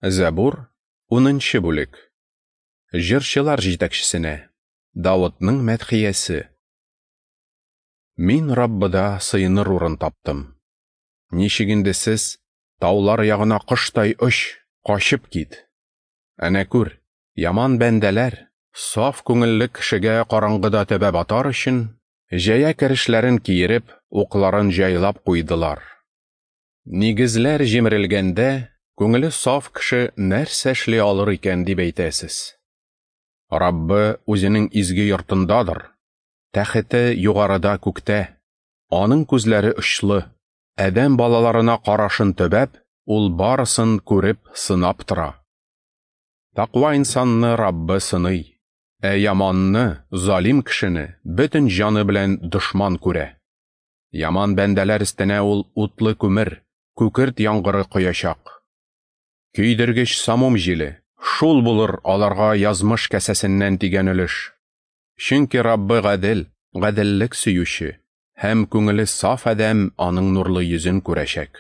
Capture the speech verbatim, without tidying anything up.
Зәбур, унынчы бүлек. Җырчылар җитәкчесенә. Давытның мәдхиясе. Мин Раббыда сыеныр урын таптым. Ничек инде сез таулар ягына коштай оч, качып кит. Әнә күр, яман бәндәләр, саф күңелле кешегә караңгыда төбәп атар өчен, җәя керешләрен киереп, укларын җайлап куйдылар. Нигезләр җимерелгәндә, күңеле саф кеше нәрсә эшли алыр икән дип әйтәсез. Раббы үзенең изге йортындадыр, тәхете югарыда күктә, аның күзләре очлы, адәм балаларына карашын төбәп, ул барысын күреп, сынап тора. Тәкъва инсанны Раббы сыный, ә яманны, залим кешене бөтен җаны белән дошман күрә. Яман бәндәләр өстенә ул утлы күмер, күкерт яңгыры коячак. Көйдергеч самум җиле, шул булыр аларга язмыш кәсәсеннән тигән өлеш. Чөнки Раббы гадел, гаделлек сөюче, һәм күңеле саф адәм аның нурлы йөзен күрәчәк.